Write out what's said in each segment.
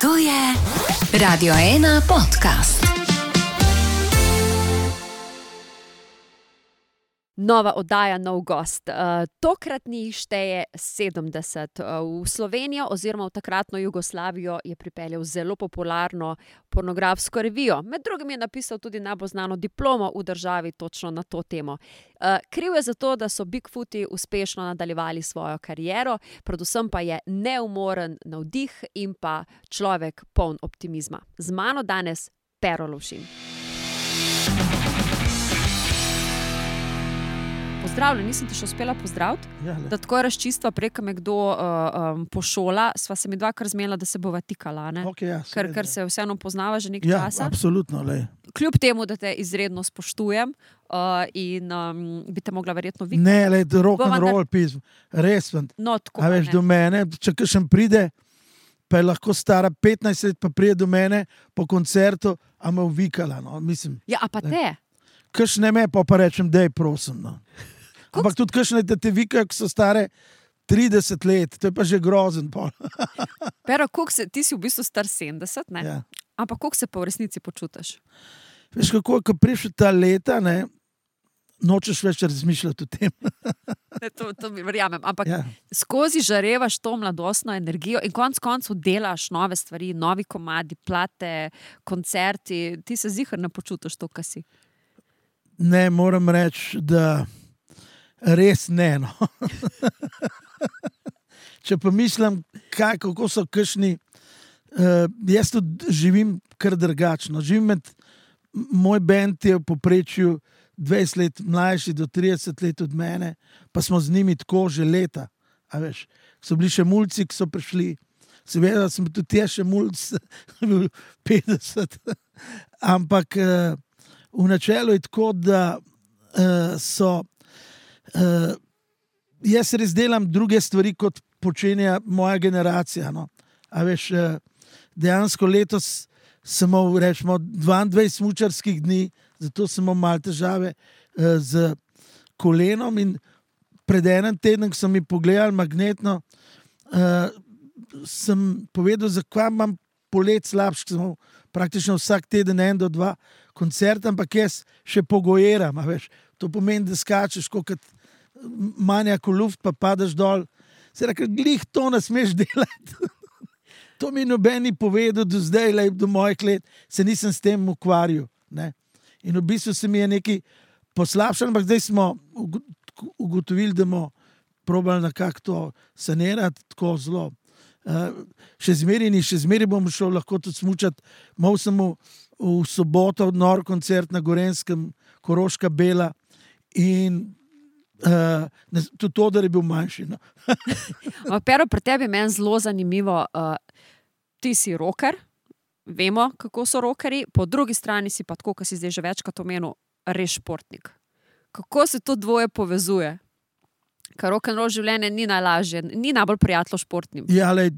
To je Radio 1 podcast. Nova oddaja, nov gost. Tokratni šteje 70. V Slovenijo oziroma v takratno Jugoslavijo je pripeljal zelo popularno pornografsko revijo. Med drugim je napisal tudi najbolj znano diplomo v državi točno na to temo. Kriv je za to, da so Bigfooti uspešno nadaljevali svojo kariero, predvsem pa je neumoren navdih in pa človek poln optimizma. Z mano danes Pero Lovšin. Pozdravljen, nisem te še uspela pozdraviti, da tako razčistva preka me kdo pošola, sva se mi dvakrat zmenila, da se bova tikala, ne? Okay, ker se vseeno poznava že nekaj časa. Ja, absolutno, lej. Kljub temu, da te izredno spoštujem in bi te mogla verjetno videti. Ne, lej, rock and roll pism, res. No, tako, a veš, do mene, če kakšen pride, pa je lahko stara 15 let, pa pride do mene po koncertu, a me uvikala, no, mislim. Ja, a pa te? Kakšne me, pa rečem, dej, prosim, no. Ampak tudi kakšne, da te vikajo, ki so stare 30 let, to je pa že grozen. Pero, ti si v bistvu star 70, ne? Ja. Ampak koliko se pa v resnici počutiš? Veš kako, ko prišel ta leta, ne, nočeš več razmišljati o tem. To mi verjamem, ampak Ja. skozi žarevaš to mladostno energijo in konec koncev delaš nove stvari, novi komadi, plate, koncerti, ti se ziher ne počutiš to, kar si. Ne, moram reči, da res ne, no. Če pa mislim, kako so kakšni, jaz tudi živim kar drugačno. Moj bend je v povprečju 20 let mlajši do 30 let od mene, pa smo z njimi tako že leta. A veš, so bili še mulci, ki so prišli. Seveda sem tudi jaz še mulc, 50. Ampak v načelu je tako, da jaz res delam druge stvari, kot počenja moja generacija. No. A veš, dejansko letos sem imel, rečemo, 22 smučarskih dni, zato sem imel malo težave z kolenom in pred enem tednom, ko sem mi pogledal magnetno, sem povedal, zakaj imam polet slabš, sem imel praktično vsak teden 1 do 2 koncerta, ampak jaz še pogojeram, a veš. To pomeni, da skačeš kot manjak v luft, pa padaš dol. Se rekel, glih to ne smeš delati. To mi noben ni povedal do zdaj, do mojih let, se nisem s tem ukvarjal. Ne? In v bistvu se mi je nekaj poslabšalo, ampak zdaj smo ugotovili, da bomo probali nekako to sanirati tako zelo. Še zmeri bom šel lahko tudi smučati. Mal sem v soboto nor koncert na Gorenskem, Koroška Bela in tudi to, da je bil manjši. No. Pero, pri tebi je meni zelo zanimivo, ti si rocker, vemo, kako so rockerji, po drugi strani si pa tako, kot si zdaj že večkrat omenil, res športnik. Kako se to dvoje povezuje? Ker rock'n'roll življenje ni najlažje, ni najbolj prijatno športnim. Ja, lej,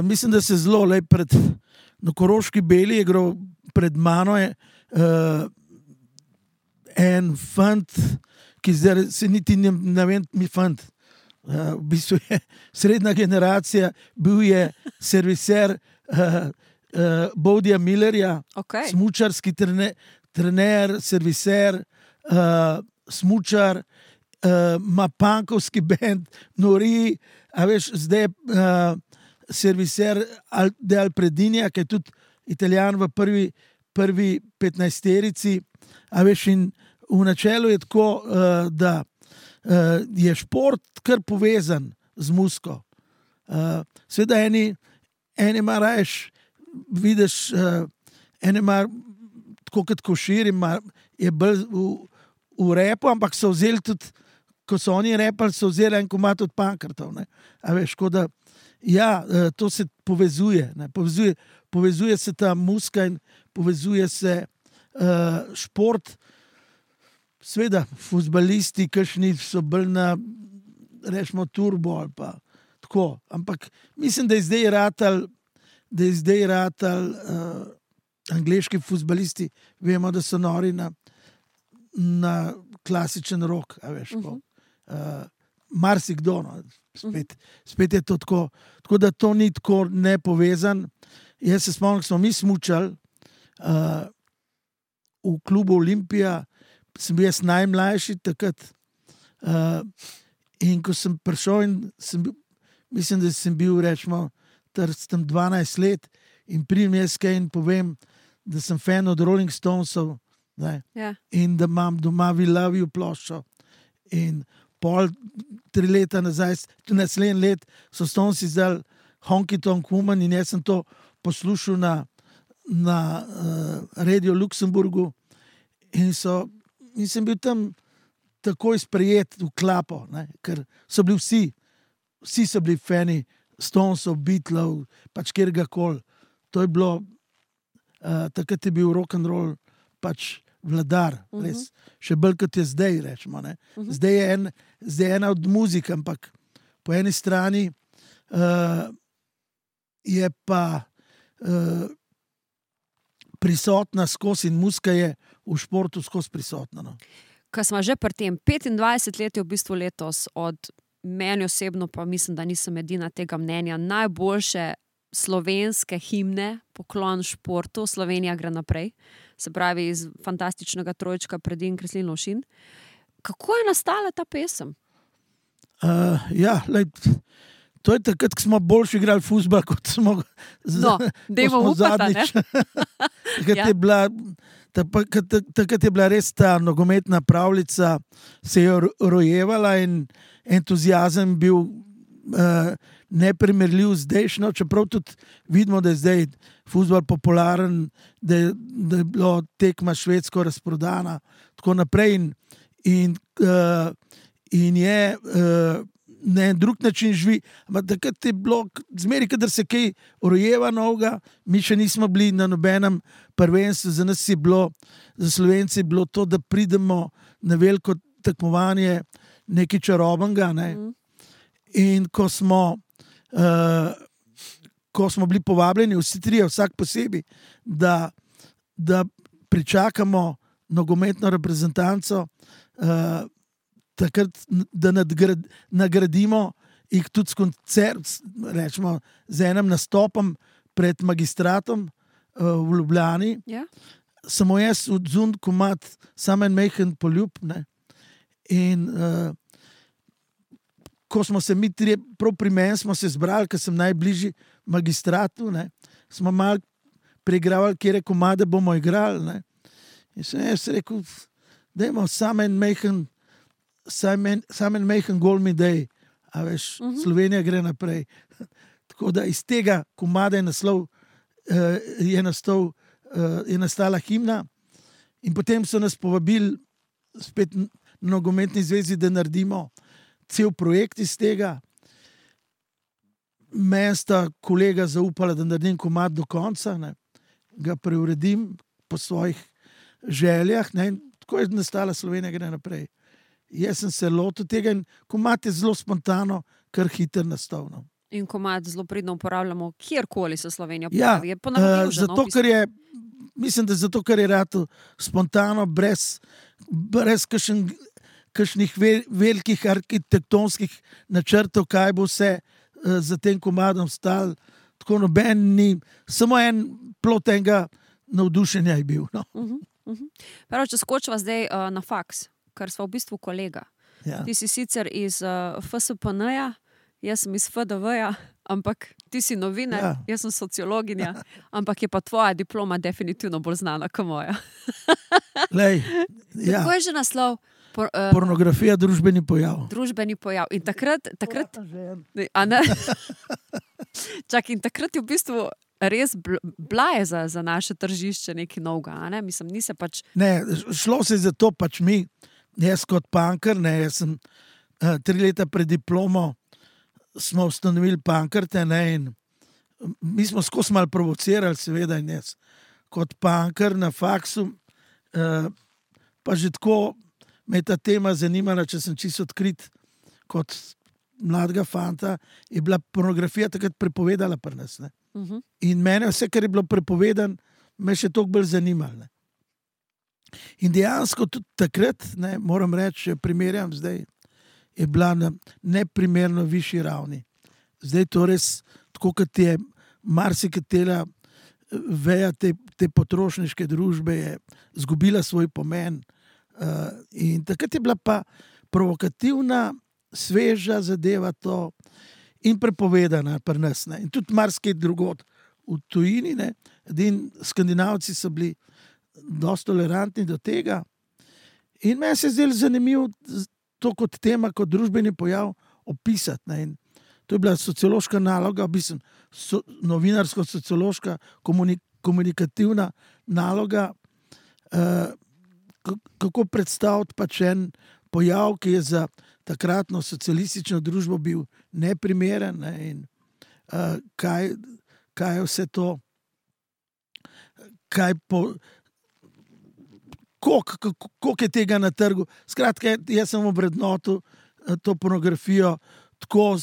mislim, da se zelo na Koroški Beli je igral pred mano en fant, ki zdaj se niti ne vem, mi fant. V bistvu je srednja generacija, bil je serviser Bodija Millerja, Okay. smučarski trener, serviser, smučar, ima punkovski bend, nori, a veš, zdaj serviser De Alpredinja, ki je tudi Italijan v prvi 15-terici, a veš, in v načelu je tako, da je šport kar povezan z muziko. Seveda eni ima rajš, vidiš, eni ima tako kot Košir, je bolj v repu, ampak so vzeli tudi, ko so oni repali, so vzeli en komad od Pankrtov. A veš, da ja, to se povezuje. Ne? Povezuje se ta muzika in povezuje se šport. Sveda, fuzbalisti, kakšni so bolj na, rečemo, turbo ali pa tako. Ampak mislim, da je zdaj ratal angleški fuzbalisti, vemo, da so nori na klasičen rock, a veš, marsikdo, no. Spet je to tako. Tako da to ni tako nepovezan. jaz se spomnim, ko smo mi smučali v klubu Olimpija, sem bil jaz najmlajši takrat. In ko sem prišel in mislim, da sem bil, rečemo, tam 12 let in pridem jaz kaj in povem, da sem fan od Rolling Stonesov, in da imam doma We Love You ploščo. In 3 leta nazaj, tudi naslednji let, so Stones izdali Honky Tonk Woman in jaz sem to poslušal na Radio Luksemburgu in sem bil tam takoj sprejet v klapo, ker so bili vsi so bili fani Stonesov, Beatlov, pač kjergakoli. To je bilo, takrat je bil rock'n'roll pač vladar, res. Še bolj kot je zdaj, rečemo. Zdaj je ena od muzik, ampak po eni strani je pa prisotna skozi in muzika je v športu skozi prisotna. No. Ko smo že pri tem, 25 let je v bistvu letos, od meni osebno pa mislim, da nisem edina tega mnenja, najboljše slovenske himne, poklon športu, Slovenija gre naprej, se pravi iz fantastičnega trojčka Predin, Kreslin, Lovšin. Kako je nastala ta pesem? To je takrat, ko smo boljši igrali fuzbal, kot smo zadnjič. Takrat je bila res ta nogometna pravljica, se je rojevala in entuziazem bil neprimerljiv zdajšnjo, čeprav tudi vidimo, da je zdaj fuzbal popularen, da je bilo tekma Švedsko razprodana, tako naprej in je na en drug način živi, ampak takrat je bilo, zmeri, kadar se kaj rojeva novega, mi še nismo bili na nobenem prvenstvu, za nas je bilo, za Slovenci je bilo to, da pridemo na veliko tekmovanje nekaj čarobnega, in ko smo bili povabljeni vsi trije, vsak posebej, da pričakamo nogometno reprezentanco, takrat, da nagradimo jih tudi s koncert, rečemo, z enim nastopom pred magistratom v Ljubljani. Samo jaz odzun komad Samo en majhen poljub. In ko smo se mi trije, prav pri meni smo se zbrali, ker sem najbližji magistratu, smo malo preigravali, kjere komade bomo igrali. In sem jaz rekel, dajmo Samo en majhen gol mi dej, a veš, Slovenija gre naprej. Tako da iz tega komada je nastala himna in potem so nas povabili spet na nogometni zvezi, da naredimo cel projekt iz tega. Meni sta kolega zaupala, da naredim komad do konca, ga preuredim po svojih željah, in tako je nastala Slovenija gre naprej. Jaz sem se lotil tega in komad je zelo spontano, kar hiter nastal. In komad zelo pridno uporabljamo, kjerkoli se Slovenija pojavi. Zato, ker je rato spontano, brez kakšnih velikih arhitektonskih načrtov, kaj bo vse za tem komadom stalo. Tako noben ni, samo en plot enega navdušenja je bil. Prvo, če skočiva zdaj na faks, ker sva v bistvu kolega. Ti si sicer iz FSPN-ja, jaz sem iz FDV-ja, ampak ti si novinar, jaz sem sociologinja, ampak je pa tvoja diploma definitivno bolj znana kot moja. Kako je že naslov? Pornografija, družbeni pojav. Družbeni pojav. In takrat in takrat je v bistvu res blaje za naše tržišče nekaj novega, Mislim, ni se pač... Ne, šlo se za to pač mi, jaz kot punker, jaz sem 3 leta pred diplomo smo ustanovili punkerte, in mi smo skozi malo provocirali, seveda, in jaz kot punker na faksu, pa že tako me je ta tema zanimala, če sem čisto odkrit kot mladega fanta, je bila pornografija takrat prepovedala pri nas. In mene vse, kar je bilo prepovedan, me še toliko bolj zanimalo. In dejansko tudi takrat, moram reči, primerjam zdaj, je bila na neprimerno višji ravni. Zdaj to res, tako kot je marsikatera veja te potrošniške družbe je izgubila svoj pomen. In takrat je bila pa provokativna, sveža zadeva to in prepovedana pri nas. Ne. In tudi marsikaj drugod v tujini. Ne. Skandinavci so bili dosti tolerantni do tega. In meni se je zdelo zanimivo to kot tema, kot družbeni pojav opisati. Ne. In to je bila sociološka naloga, novinarsko-sociološka, komunikativna naloga, kako predstaviti pač en pojav, ki je za takratno socialistično družbo bil neprimeren, ne, in kaj je vse to, koliko je tega na trgu. Skratka, jaz sem obrednotil to pornografijo tako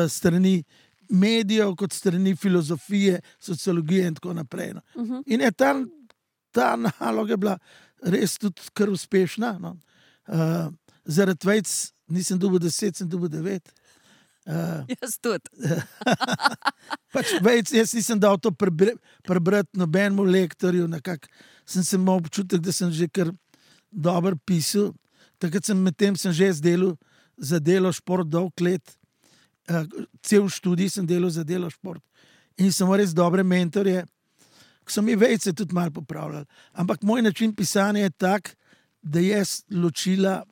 strani medijev, kot strani filozofije, sociologije in tako naprej. No. In je ta naloga bila res tudi kar uspešna. No. Zaradi vejc nisem dobil 10, sem dobil 9. Jaz tudi. Pač vejc, jaz nisem dal to prebrati nobenemu lektorju, sem se imel občutek, da sem že kar dobro pisal. Takrat medtem sem že delal za Delo šport dolg let. Cel študij sem delal za Delo šport. In sem res dobre mentorje, ki so mi vejce tudi malo popravljali. Ampak moj način pisanja je tak, da jaz ločila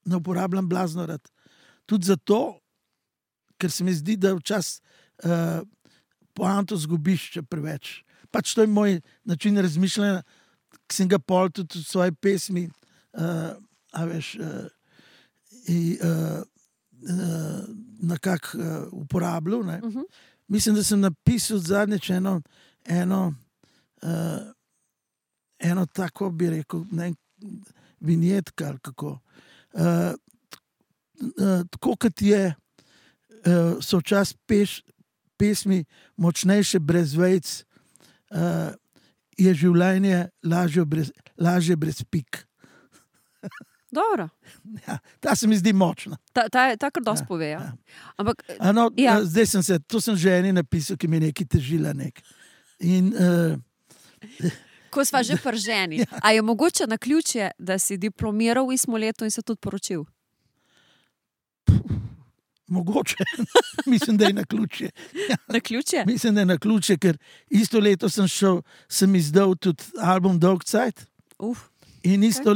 ne uporabljam blazno rad. Tudi zato, ker se mi zdi, da včasih poanto zgubiš, če preveč. Pač to je moj način razmišljanja, ki sem ga pol tudi v svoji pesmi, nekako uporabljal. Ne. Mislim, da sem napisal zadnjič eno tako, bi rekel, ne, vinjetka ali kako. Tako kot so včasih pesmi močnejše brez vejc, je življenje lažje brez pik. Dobro. Ja, ta se mi zdi močna. Ta kar dosti pove. Ja. Ampak, zdaj sem že eni napisal, ki mi je nekaj težila. In, ko sva že prženi, a je mogoče naključje, da si diplomiral v istem letu in se tudi poročil? Mogoče. Mislim, da je naključje. Naključje? Mislim, da je naključje, ker isto leto sem izdal tudi album Dolg Cajt. In isto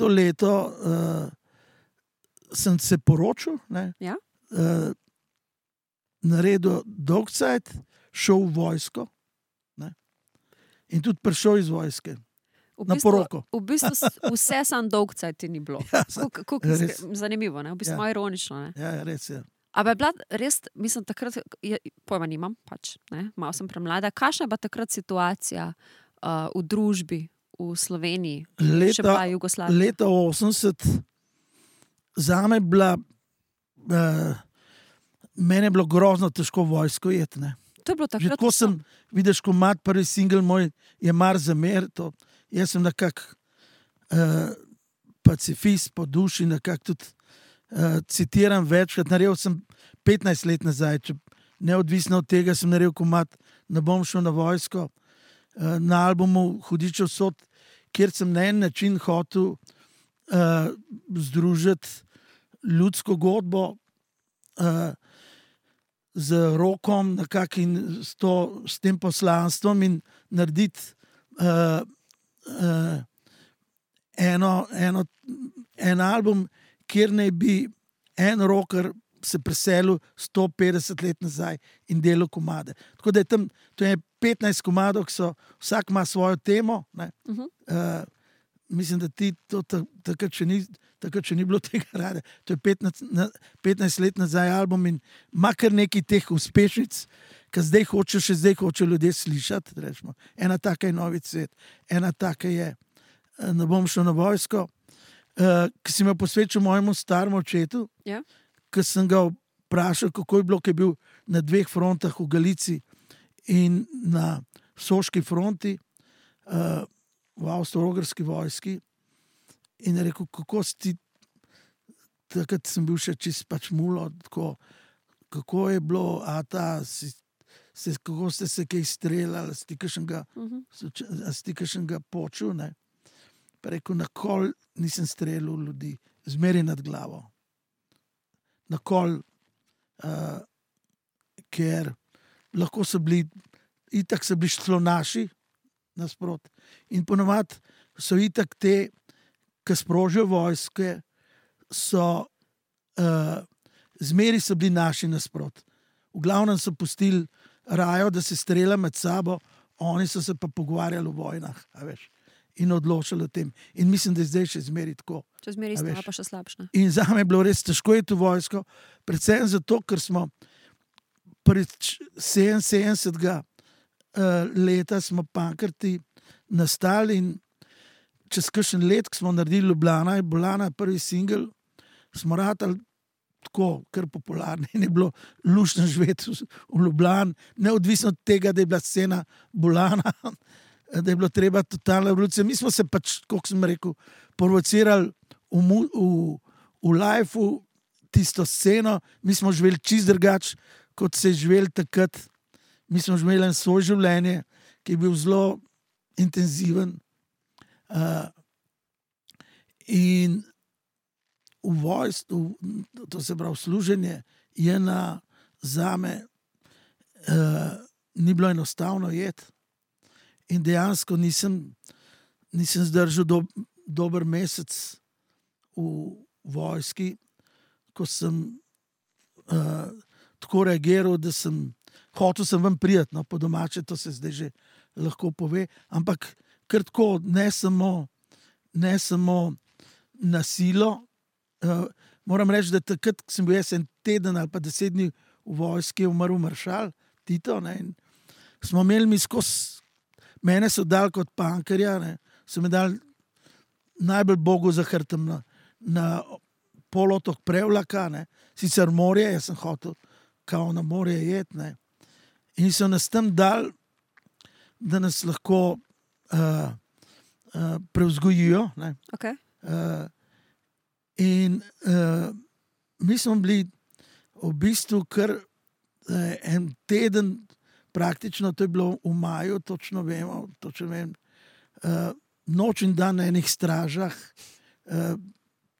leto sem se poročil, ne? Ja? Naredil Dolg Cajt, šel v vojsko, ne? In tudi prišel iz vojske. Na poroko. V bistvu vse sam Dolg Cajt ti ni bilo. Ja, zanimivo, ne? V bistvu ironično. Ne? Ja, res je. Ampak je bila res, mislim, takrat, pojma nimam, pač, ne? Malo sem premlada. Kakšna je bila takrat situacija v družbi, v Sloveniji, še pa Jugoslaviji? Leta 80 zame bila, mene je bilo grozno težko vojsko jeti, ne. To je bilo takrat. Že tako sem, vidiš, komad, prvi single moj je Mar za mer, to. Jaz sem nekako pacifist po duši, nekako tudi citiram večkrat. Naredil sem 15 let nazaj, neodvisno od tega sem naredil komad Ne bom šel na vojsko, na albumu Hudičev sod, kjer sem na en način hotel združiti ljudsko godbo z rokom nekako in s tem poslanstvom in narediti en album, kjer naj bi en rocker se preselil 150 let nazaj in delal komade. Tako da je tam, to je 15 komadov, ki so, vsak ima svojo temo. Ne? Mislim, da ti to takrat še ni bilo tega rade. To je 15 let nazaj album in ima kar nekaj teh uspešnic, ki zdaj hoče ljudje slišati. Rečemo. Ena taka je Novi cvet, ena taka je Ne bom šel na vojsko, ki si me posvečal mojemu staremu očetu, ki sem ga vprašal, kako je bilo, ki je bil na 2 frontah v Galici in na Soški fronti, v Avstro-Ogrski vojski. In je rekel, kako si takrat sem bil še čist pač mulo, kako je bilo, kako ste se kaj streljali, ste kakšnega počul, ne? Pa rekel, nakol nisem streljal ljudi, zmeri nad glavo. Nakol, ker lahko so bili, itak so bili slonaši nasprot. In ponovadi so itak te, ki sprožijo vojske, zmeri so bili naši nasprot. V glavnem so pustili rajo, da se strelja med sabo, oni so se pa pogovarjali o vojnah, a veš. In odločili o tem. In mislim, da je zdaj še zmeri tako. Če zmeri stava pa še slabša. In za me je bilo res težko iti v vojsko, predvsem zato, ker smo pred 77. Leta smo Pankrti nastali in čez kakšen let, ko smo naredili Ljubljana, je Bolana prvi singel, smo ratali tako, kar popularni. In je bilo luštno živeti v Ljubljani, neodvisno od tega, da je bila scena Bolana, da je bilo treba totalna revolucija. Mi smo se pač, kot sem rekel, provocirali v lifeu tisto sceno, mi smo živeli čist drugače, kot se je živeli takrat. Mi smo živeli svoje življenje, ki je bil zelo intenziven. In v vojstvu, to se pravi služenje, je zame ni bilo enostavno jeti. In dejansko nisem zdržal dober mesec v vojski, ko sem tako reagiral, da hotel sem ven prijeti, no, po domače, to se zdaj že lahko pove, ampak kar tako, ne samo na silo. Moram reči, da takrat, ko sem bil jaz en teden ali pa 10 dni v vojski, je umrl maršal Tito, ne, in smo imeli mi skozi. Mene so dali kot pankerja, ne, so me dali najbolj Bogu za hrbtom na polotok Prevlaka, ne, sicer morje, jaz sem hotel kao na morje jeti, ne, in so nas tam dali, da nas lahko prevzgojijo, ne. Okay. In mi smo bili v bistvu kar en teden, praktično to je bilo v maju, točno vem, noč in dan na enih stražah,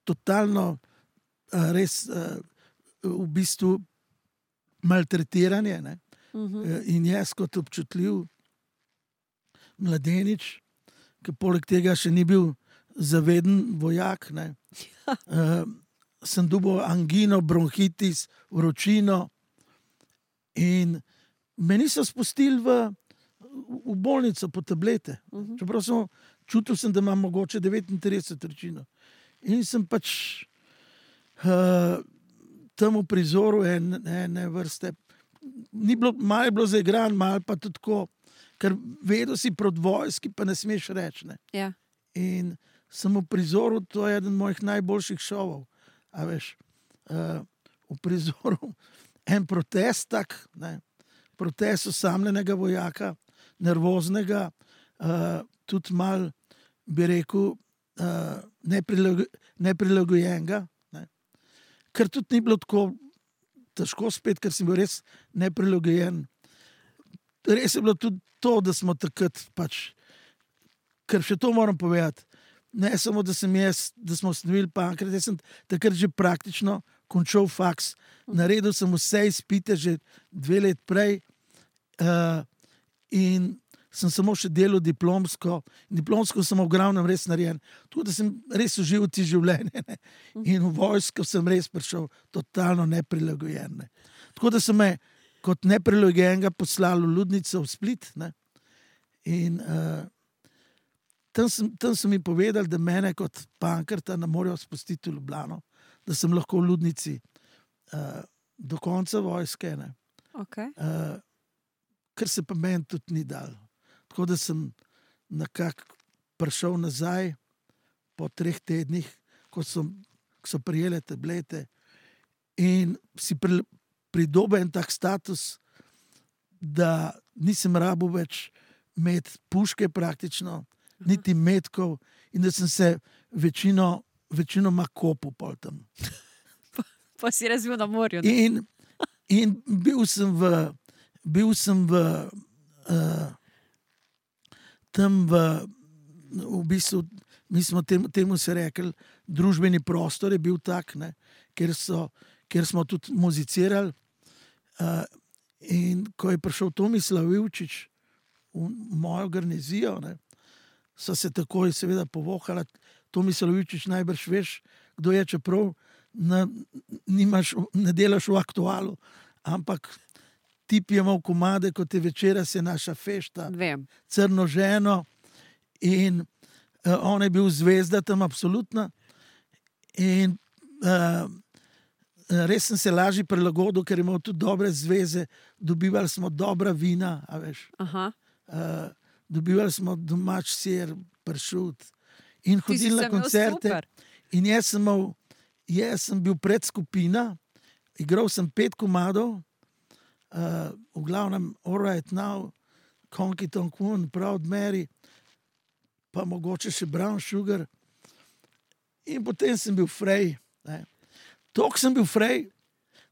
totalno res v bistvu maltretiranje, ne? In jaz kot občutljiv mladenič, ki poleg tega še ni bil zaveden vojak, ne? Sem dobil angino, bronhitis, vročino in me niso spustili v bolnico po tablete. Čeprav čutil sem, da imam mogoče 39 vročino. In sem pač tam v prizoru ene vrste. Malo je bilo zaigran, malo pa tudi tako, ker vedel si proti vojski, pa ne smeš reči. Ne? Ja. In sem v prizoru, to je eden mojih najboljših šovov. A veš, v prizoru en protest tak, ne? Protest osamljenega vojaka, nervoznega, tudi mal, bi rekel, neprilagojenega. Ne? Ker tudi ni bilo tako težko spet, ker sem bil res neprilagojen. Res je bilo tudi to, da smo takrat pač, ker še to moram povedati, ne samo, da smo ustanovili Pankrat, jaz sem takrat že praktično končal faks. Naredil sem vse izpite že 2 let prej in sem samo še delal diplomsko. Diplomsko sem v glavnem res narejen. Tako da sem res užival ti življenje. Ne? In v vojsko sem res prišel totalno neprilagojen. Ne? Tako da so me kot neprilagojenega poslali v Ludnico v Split. Ne? In tam so mi povedali, da mene kot Pankrta ne morejo spustiti v Ljubljano, da sem lahko v Ludnici do konca vojske. Ne? Okay. Ker se pa meni tudi ni dal. Tako da sem nekako prišel nazaj po 3 tednih, ko so prijele tablete in si pridobil en tak status, da nisem rabil več imeti puške praktično, niti metkov in da sem se večinoma kopal pol tam. Pa si razvil na morju. In bil sem bil sem tam v bistvu, mi smo temu se rekli, družbeni prostor je bil tak, ne, kjer smo tudi muzicirali. In ko je prišel Tomislav Ivčič v mojo garnizijo, ne, so se takoj seveda povohala. Tomislav Ivčič najbrž veš, kdo je, čeprav ne delaš v Aktualu, ampak tip je imel komade, kot je Večera se naša fešta, Crno ženo, in on je bil zvezda tam absolutna. In res sem se lažje prilagodil, ker je imel tudi dobre zveze, dobivali smo dobra vina, a veš. Dobivali smo domač sir, pršut in hodili na koncerte. In jaz sem bil predskupina, igral sem 5 komadov, v glavnem All Right Now, Honky Tonk Woman, Proud Mary, pa mogoče še Brown Sugar. In potem sem bil Frej. Toliko sem bil Frej,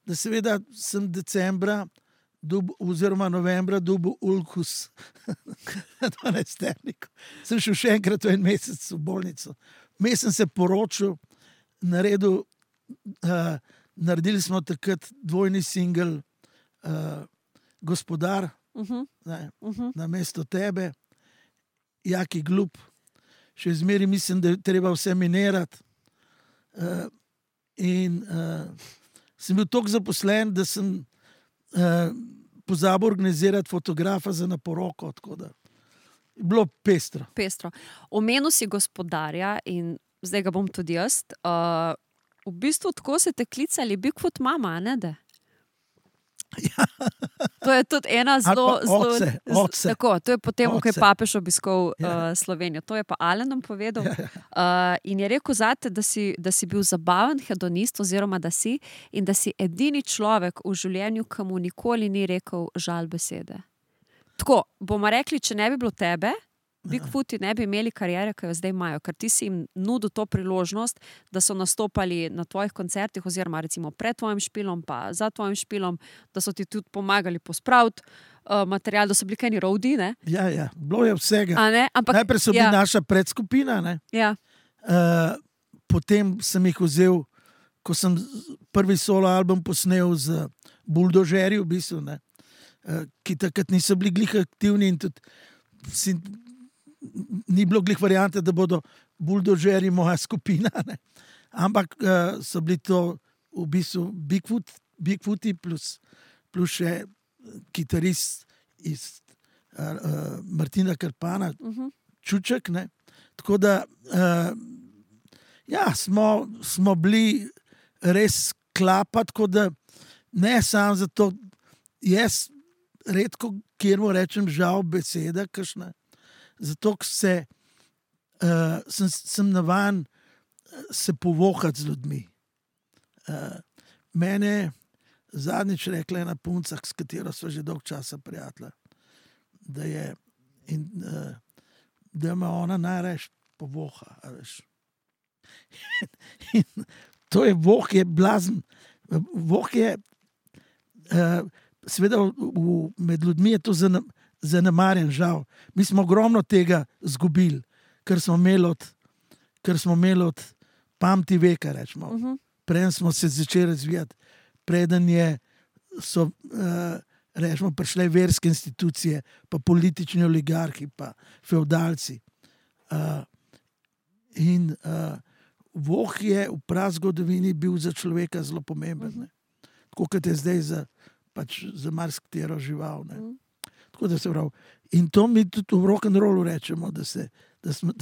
da seveda sem decembra oziroma novembra dobil ulkus na 12-terniku. Sem šel še enkrat v en mesec v bolnico. Vmes sem se poročil, naredili smo takrat dvojni singel Gospodar, namesto tebe, Jaki glup. Še zmeraj mislim, da je treba vse minirati. In sem bil toliko zaposlen, da sem pozabil organizirati fotografa za na poroko, tako da je bilo pestro. Omenil si Gospodarja in zdaj ga bom tudi jaz. V bistvu tako se te klicali Bigfoot mama, ne da? Ja. To je tudi ena zelo... Oce. Tako, to je potem, ko je papež obiskal Slovenijo. To je pa Alenom povedal. In je rekel zate, da si bil zabaven hedonist, oziroma da si, in da si edini človek v življenju, ki mu nikoli ni rekel žal besede. Tako, bomo rekli, če ne bi bilo tebe, Bigfooti ne bi imeli kariere, ki jo zdaj imajo, ker ti si jim nudil to priložnost, da so nastopali na tvojih koncertih, oziroma recimo pred tvojim špilom, pa za tvojim špilom, da so ti tudi pomagali pospraviti material, da so bili kajni roadie, ne? Ja, bilo je vsega. Ampak, najprej so bili naša predskupina, ne? Ja. Potem sem jih vzel, ko sem prvi solo album posnel z Buldožerji, v bistvu, ne? Ki takrat niso bili glih aktivni in tudi ni bilo glih variante, da bodo Buldožerji moja skupina, ne? Ampak so bili to v bistvu Bigfooti plus še kitarist iz Martina Krpana, Čuček, ne? Tako da smo bili res klapa, tako da ne samo zato, jaz redko kjer mu rečem žal beseda kakšna, zato ker sem navajen se povohati z ljudmi. Mene zadnjič rekla ena punca, s katero sva že dolgo časa prijatelja, da me ona najraje povoha. To je voh, je blazen. Voh je, seveda med ljudmi je to zanemarjen, žal. Mi smo ogromno tega zgubili, ker smo imeli od pamti veka, rečemo. Preden smo se začeli razvijati, preden so rečemo, prišle verske institucije, pa politični oligarhi, pa feudalci. In voh je v prazgodovini bil za človeka zelo pomemben. Tako kot je zdaj za marsikatero žival. Tako da se pravi. In to mi tudi v rock'n'rollu rečemo, da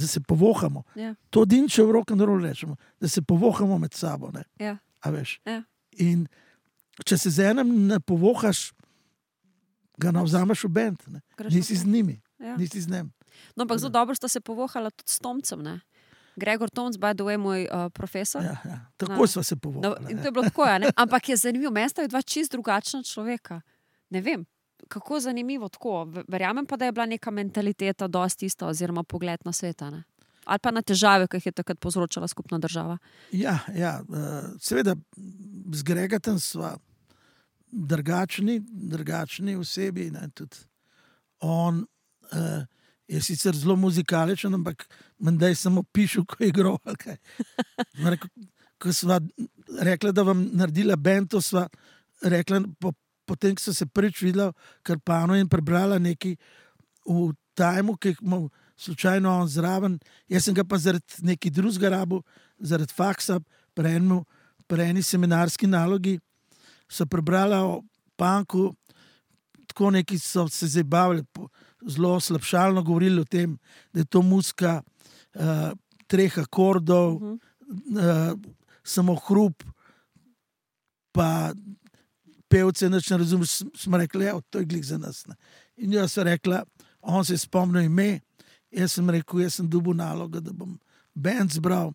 se povohamo. To dinče v rock'n'rollu rečemo, da se povohamo med sabo. A veš? In če se z enem ne povohaš, ga navzameš v bend. Nisi z njimi, nisi z njim. No, ampak zelo dobro sta se povohala tudi s Tomcem, ne? Gregor Tomc, by the way, moj profesor. Ja. Tako sva se povohala. In to je bilo tako, ne? Ampak je zanimivo, mesta je dva čist drugačna človeka. Ne vem, kako zanimivo tako. Verjamem pa, da je bila neka mentaliteta dosti ista, oziroma pogled na sveta, ne? Ali pa na težave, ki jih je takrat povzročala skupna država. Ja, seveda z Gregatem sva drugačni osebi. Ne, tudi on je sicer zelo muzikaličen, ampak menda je samo pišel, ko je igral. Ko sva rekla, da vam naredila band, to sva rekla, potem, ko so se prvič videla Krpano in prebrala nekaj v tajmu, ki imamo slučajno on zraven. Jaz sem ga pa zaradi nekaj drugega rabu, zaradi faksa, pri eni seminarski nalogi, so prebrala o punku, tako neki so se zabavili, zelo slabšalno govorili o tem, da je to muzika 3 akordov, samo hrup, pa pevce nič ne razumeš. Smo rekli, to je glih za nas. Ne. In jaz sem rekla, on se je spomnil ime, jaz sem rekel, jaz sem dobil nalogo, da bom band zbral.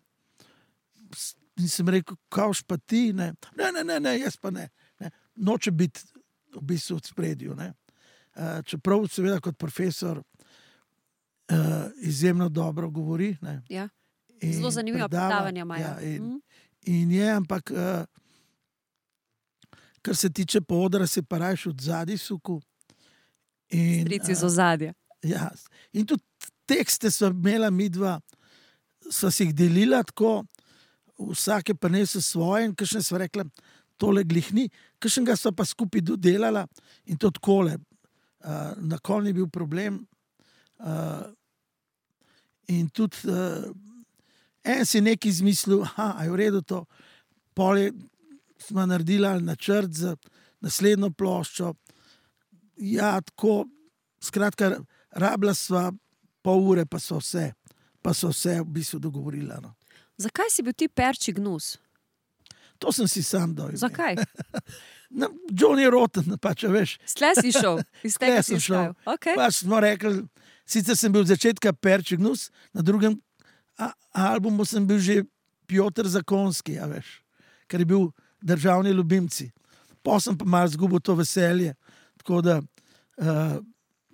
In sem rekel, kavš pa ti? Ne, jaz pa ne. Noče biti v bistvu v spredju. Ne. Čeprav seveda kot profesor izjemno dobro govori. Ne. Ja. Zelo zanimivo predavanje imajo. Ja, in je, ampak kar se tiče podra, se pa rajš od zadaj suku. Strici z ozadja. Ja, in tudi tekste so imela midva, so si jih delila tako, vsake pa nesel svoje in kakšne so rekla, tole glihni, kakšnega so pa skupaj dodelala in to takole. Na kol ni bil problem. In tudi en si nekaj izmislil, a je v redu to, pol smo naredila načrt za naslednjo ploščo. Ja, tako, skratka, rabila sva pol ure, pa so vse v bistvu dogovorila. No. Zakaj si bil ti Perči gnus? To sem si sam dojel. Zakaj? Johnny Rotten, pač, veš. Stle si šel, iz tega si šel. Okay. Pač smo rekli, sicer sem bil od začetka Perči gnus, na drugem albumu sem bil že Piotr Zakonski, a veš, ker je bil državni ljubimci. Pa sem pa malo zgubil to veselje, tako da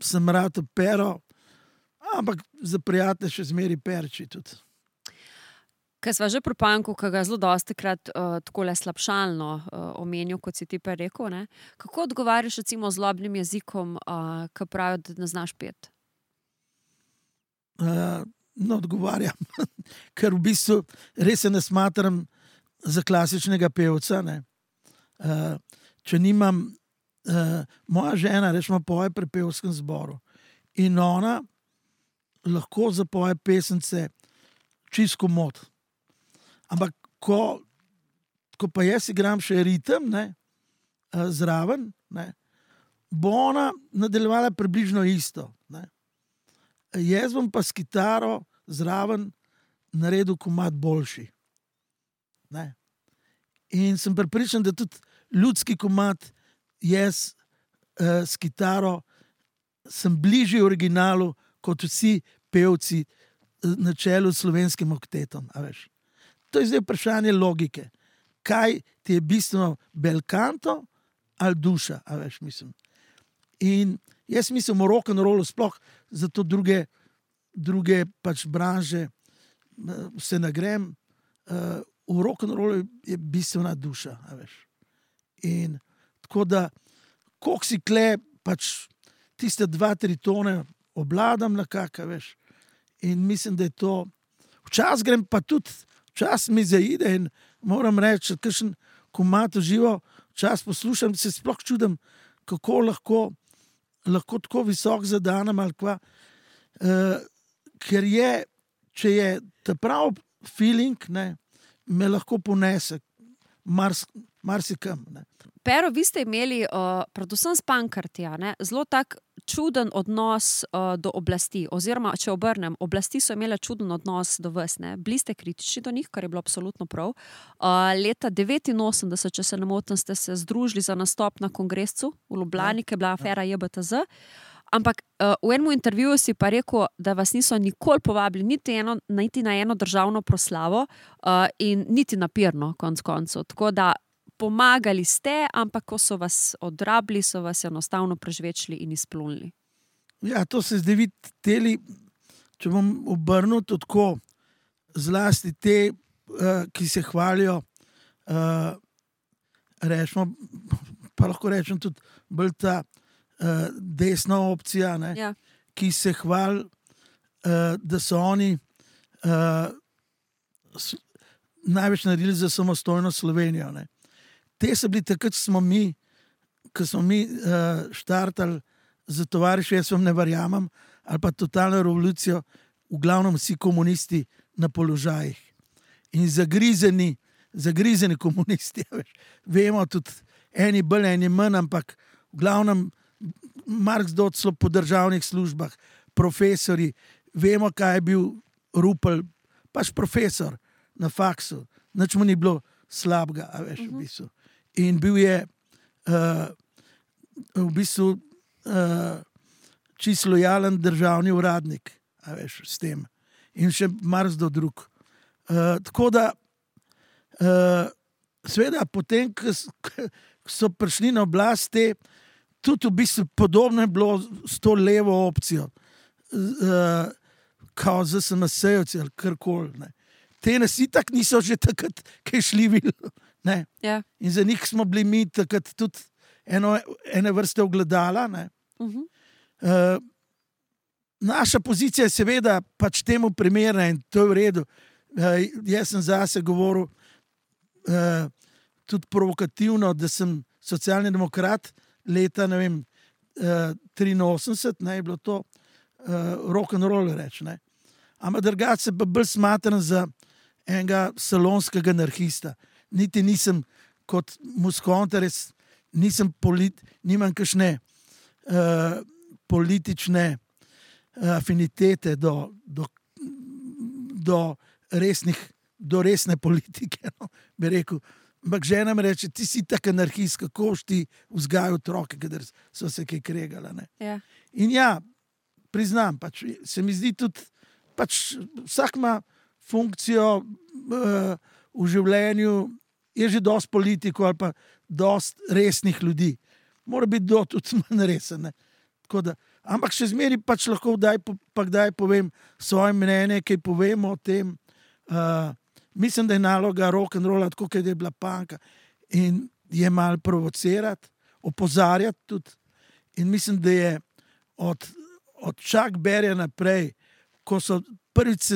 sem rad Pero, ampak za prijatelje še zmeri Perči tudi. Kaj sva že pri punku, ki ga zelo dostikrat takole slabšalno omenil, kot si ti pa rekel, ne? Kako odgovarjaš recimo zlobnim jezikom, ki pravijo, da ne znaš peti? Odgovarjam, ker v bistvu res se ne smatram za klasičnega pevca. Ne? Če nimam, moja žena rečemo poje pri pevskem zboru in ona lahko zapoje pesence čisto mod. Ampak ko pa jaz igram še ritem, ne, zraven, ne, bo ona nadaljevala približno isto. Ne. Jaz bom pa s kitaro zraven naredil komad boljši. Ne. In sem prepričan, da tudi ljudski komad jaz s kitaro sem bližji originalu kot vsi pevci na čelu s Slovenskim oktetom. A veš. To je zdaj vprašanje logike. Kaj ti je bistveno bel canto ali duša, a veš, mislim. In jaz mislim o rock'n'rollu sploh, zato druge pač branže se nagrem. V rock'n'rollu je bistvena duša, a veš. In tako da, koliko si kle, pač tiste 2-3 tone obladam nekako, veš. In mislim, da je to... Včasih grem pa tudi, včasih mi zaide in moram reči, kakšen komad uživo, včasih poslušam, se sploh čudem, kako lahko tako visok zadanem ali kva. Ker je, če je ta prav feeling, ne, me lahko ponese marsikam. Ne. Pero, vi ste imeli, predvsem s punkarti, zelo tak čuden odnos do oblasti, oziroma, če obrnem, oblasti so imele čuden odnos do vas, ne? Bili ste kritični do njih, kar je bilo absolutno prav. Leta 1989, če se ne motim, ste se združili za nastop na kongresu v Ljubljani, ki je bila afera JBTZ, ampak v enem intervjuju si pa rekel, da vas niso nikoli povabili niti na eno državno proslavo in niti na pirno, konec koncev. Tako da pomagali ste, ampak ko so vas odrabili, so vas enostavno prežvečili in izplunili. Ja, to se zdaj vidi, če bom obrnil tako, zlasti te, ki se hvalijo, rečemo, pa lahko rečem tudi bolj ta desna opcija, ne, Ja. ki se hvali, da so oni največ naredili za samostojno Slovenijo. Ne. Te so bili takrat, ko smo mi štartali za tovariš, jaz vam ne verjamem, ali pa totalno revolucijo, v glavnem vsi komunisti na položajih. In zagrizeni komunisti, veš. Vemo tudi, eni bolj, eni manj, ampak v glavnem Marks docelo po državnih službah, profesori, vemo, kaj je bil Rupel, pač profesor na faksu, nič mu ni bilo slabega, a veš, v bistvu. In bil je v bistvu čisto lojalen državni uradnik, a veš, s tem. In še marsikdo drug. Tako da, seveda, potem, ko so prišli na oblast, tudi v bistvu podobno je bilo s to levo opcijo, kao ZSMS-jevci ali karkoli. Te nas itak niso že takrat kaj šli videli. Ja. In za njih smo bili mi takrat tudi ene vrste ogledala. Naša pozicija je seveda pač temu primerna in to je v redu. Jaz sem zase govoril tudi provokativno, da sem socialni demokrat leta, ne vem, 83, ne, je bilo to rock'n'roll reč, ne. Ampak drugače se pa bolj smatram za enega salonskega anarhista. Niti nisem kot Muskonta, res nisem nimam kakšne politične afinitete do resne politike, no, bi rekel. Ampak žena mi reče, ti si tak anarhist, kako boš ti vzgajal otroke, kadar so se kaj kregala. Ne. Ja. In ja, priznam, pač, se mi zdi tudi, pač vsak ima funkcijo v življenju, je že dosti politikov ali pa dosti resnih ljudi. Mora biti tudi manj resen. Ne. Tako da, ampak še zmeri pač lahko kdaj povem svoje mnenje, kaj povemo o tem. Mislim, da je naloga rock'n'rolla, tako kot je bila panka, in je malo provocirati, opozarjati tudi. In mislim, da je od Chuck Berryja naprej, ko so prvič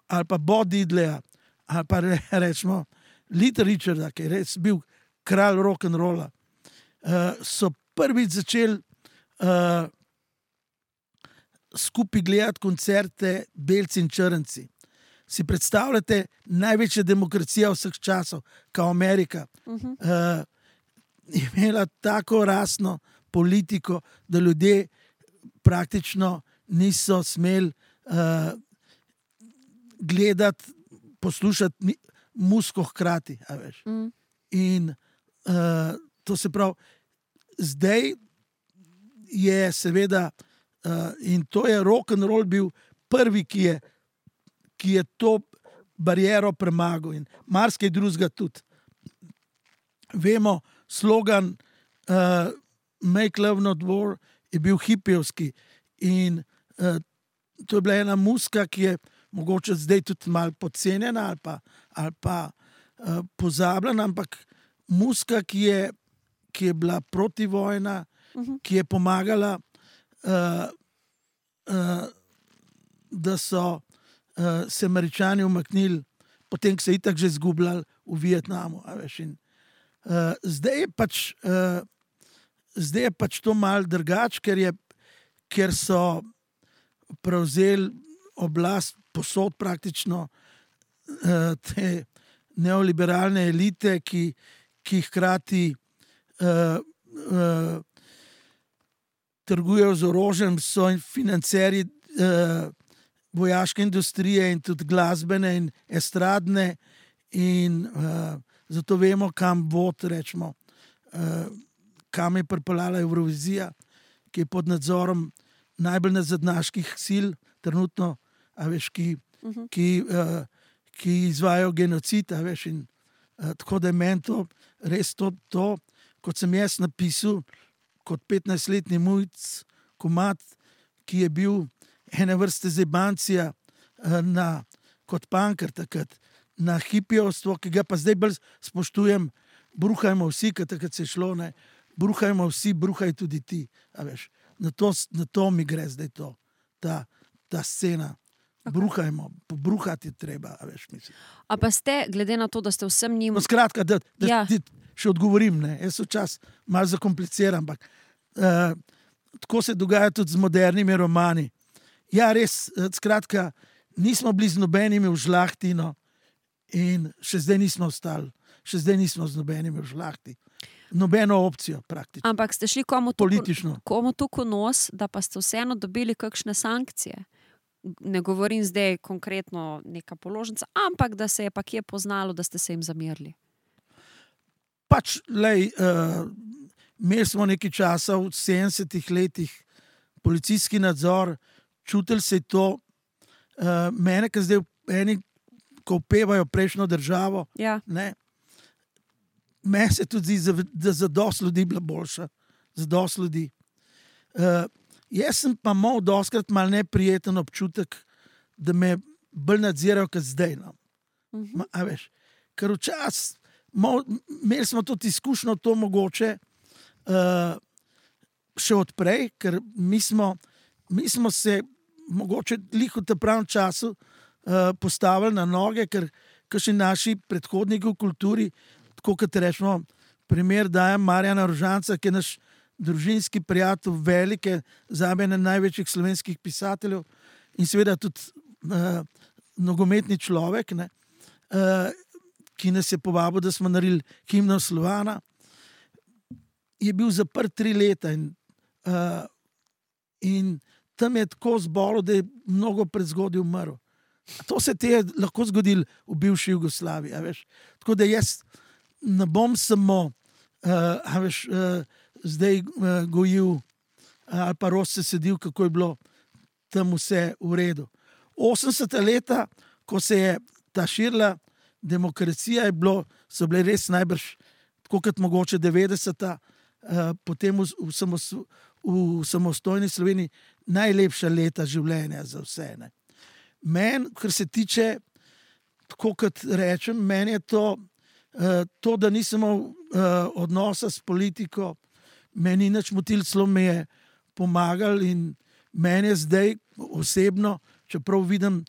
ali pa Bob Diddleya, ali pa rečemo Little Richarda, ki je res bil kralj rock'n'rolla, so prvič začeli skupaj gledati koncerte belci in črnci. Si predstavljate, največja demokracija vseh časov, kao Amerika, je imela tako rasno politiko, da ljudje praktično niso smeli gledati, poslušati muziko hkrati. A veš. In to se pravi, zdaj je seveda, in to je rock'n'roll bil prvi, ki je to bariero premagal in marsikaj drugega tudi. Vemo, slogan Make Love Not War je bil hipijevski in to je bila ena muzika, ki je mogoče zdaj tudi malo podcenjena ali pa pozabljena, ampak muzika, ki je bila protivojna, ki je pomagala, da so se Američani umaknili, potem, ko so itak že izgubljali v Vietnamu. A veš, in, zdaj je pač to malo drugače, ker so prevzeli oblast posod praktično te neoliberalne elite, ki hkrati trgujejo z orožjem, so financerji vojaške industrije in tudi glasbene in estradne in zato vemo, kam vod, rečemo, kam je pripeljala Evrovizija, ki je pod nadzorom najbolj nazadnjaških sil, trenutno, a veš, ki izvajajo genocid, a veš, in tako da je meni to res to, kot sem jaz napisal, kot 15-letni mujc, komad, ki je bil ene vrste zebancija kot pankar takrat, na hipijovstvo, ki ga pa zdaj bolj spoštujem, bruhajmo vsi, ker takrat se je šlo, ne, bruhajmo vsi, bruhaj tudi ti. A veš, na to mi gre zdaj ta scena. Bruhajmo, pobruhati je treba, a veš, mislim. A pa ste, glede na to, da ste vsem njim... No, skratka, da Ja. ti še odgovorim, ne. Jaz včasih malo zakompliciram, ampak tako se dogaja tudi z modernimi romani. Ja, res, skratka, nismo bili z nobenimi v žlahti, no, in še zdaj nismo ostali. Še zdaj nismo z nobenimi v žlahti. Nobeno opcijo praktično. Ampak ste šli komu Politično. tukaj nos, da pa ste vseeno dobili kakšne sankcije. Ne govorim zdaj konkretno neka položnica, ampak da se je pa kje poznalo, da ste se jim zamerili. Pač, imeli smo nekaj časa v 70-ih letih policijski nadzor, čutili se je to. Mene, ki zdaj eni, ko upevajo prejšnjo državo, Ja. ne, meni se tudi zdi, da za dosti ljudi bila boljša. Za dosti ljudi. Jaz sem pa imel dostikrat malo neprijeten občutek, da me bolj nadzirajo kot zdaj. No. A veš, ker včasih imeli smo tudi izkušnjo to mogoče še odprej, ker mi smo se mogoče lih v tem pravem času postavili na noge, ker kakšni naši predhodniki v kulturi, tako kot rečemo, primer dajem Marjana Rožanca, ki je naš družinski prijatelj, velike, zame eden največjih slovenskih pisateljev in seveda tudi nogometni človek, ne, ki nas je povabil, da smo naredili himno Slovana, je bil zaprt 3 leta in tam je tako zbolel, da je mnogo prezgodaj umrl. To se ti je lahko zgodilo v bivši Jugoslaviji, a veš. Tako da jaz ne bom samo zdaj gojil ali pa se sedil, kako je bilo tam vse v redu. 80. leta, ko se je ta širila demokracija, so bile res najbrž, tako kot mogoče 90. Potem v samostojni Sloveniji najlepša leta življenja za vse. Ne. Meni, kar se tiče, tako kot rečem, meni je to, da nisem imel odnosa s politiko, meni nič motil, celo me je pomagal in meni je zdaj osebno, čeprav vidim,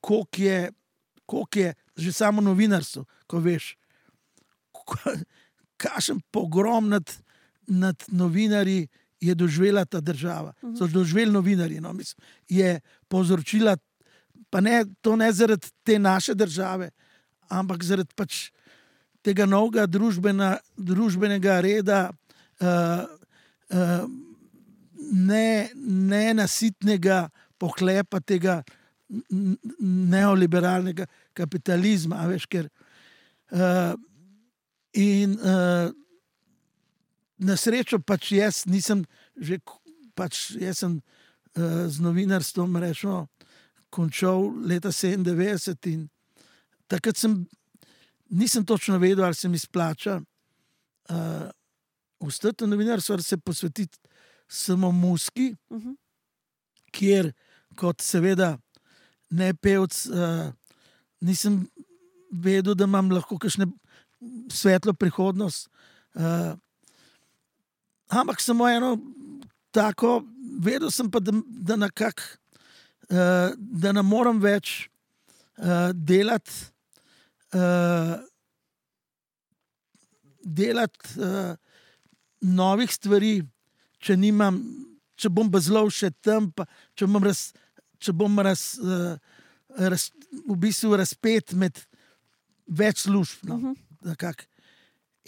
koliko je že samo novinarstvo, ko veš, kakšen pogrom nad novinarji je doživela ta država. So doživeli novinarji, no, mislim, je povzročila, pa to ne zaradi te naše države, ampak zaradi pač tega novega družbenega reda, nenasitnega pohlepa tega neoliberalnega kapitalizma, a veš, ker na srečo pač jaz nisem jaz sem z novinarstvom rečeno končal leta 97 in takrat nisem točno vedel, ali se mi splača ostati v novinarstvu, ali se posvetiti samo muski, kjer kot seveda ne pevc nisem vedel, da imam lahko kakšne svetlo prihodnost. Ampak samo eno tako, vedel sem pa, da nekako, da ne moram več delati novih stvari, če bom bazlov še tam, pa če bom v bistvu razpet med več služb. No,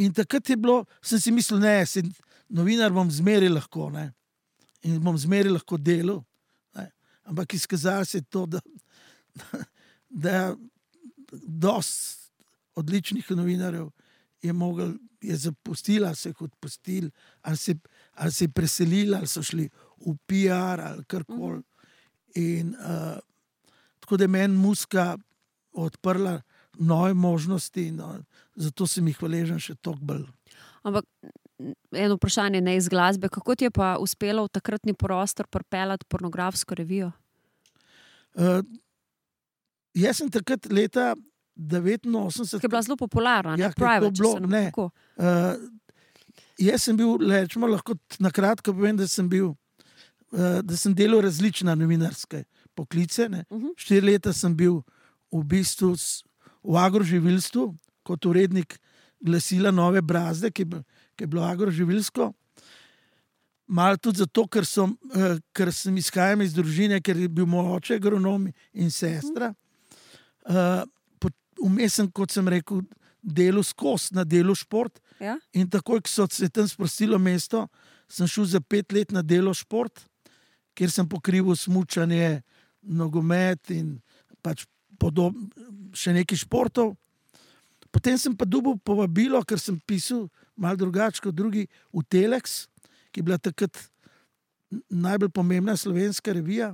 in takrat je bilo, sem si mislil, novinar bom zmeri lahko, ne, in bom zmeri lahko delal, ne, ampak izkazalo se je to, da dosti odličnih novinarjev je zapustila, se jih odpustili, ali se je preselila, ali so šli v PR, ali karkoli. In tako da je meni muska odprla nove možnosti, no, zato sem jih hvaležen še toliko bolj. Ampak eno vprašanje ne iz glasbe, kako ti je pa uspelo v takratni prostor pripeljati pornografsko revijo? Jaz sem takrat leta 89... Ki je bila zelo popularna, ja, Private, bilo, ne. jaz sem bil, rečemo, lahko na kratko povem, da sem delal različna novinarske poklice. 4 leta sem bil v bistvu v agroživilstvu kot urednik glasila Nove Brazde, ki je bilo agroživilsko. Malo tudi zato, ker sem izhajal iz družine, ker je bil moj oče agronom in sestra. Vmes sem, kot sem rekel, delal skozi na delu šport. Ja? In takoj, ko so se tam sprostilo mesto, sem šel za 5 let na delo šport, kjer sem pokrival smučanje, nogomet in pač še nekaj športov. Potem sem pa dobil povabilo, ker sem pisal malo drugače kot drugi v Telex, ki je bila takrat najbolj pomembna slovenska revija.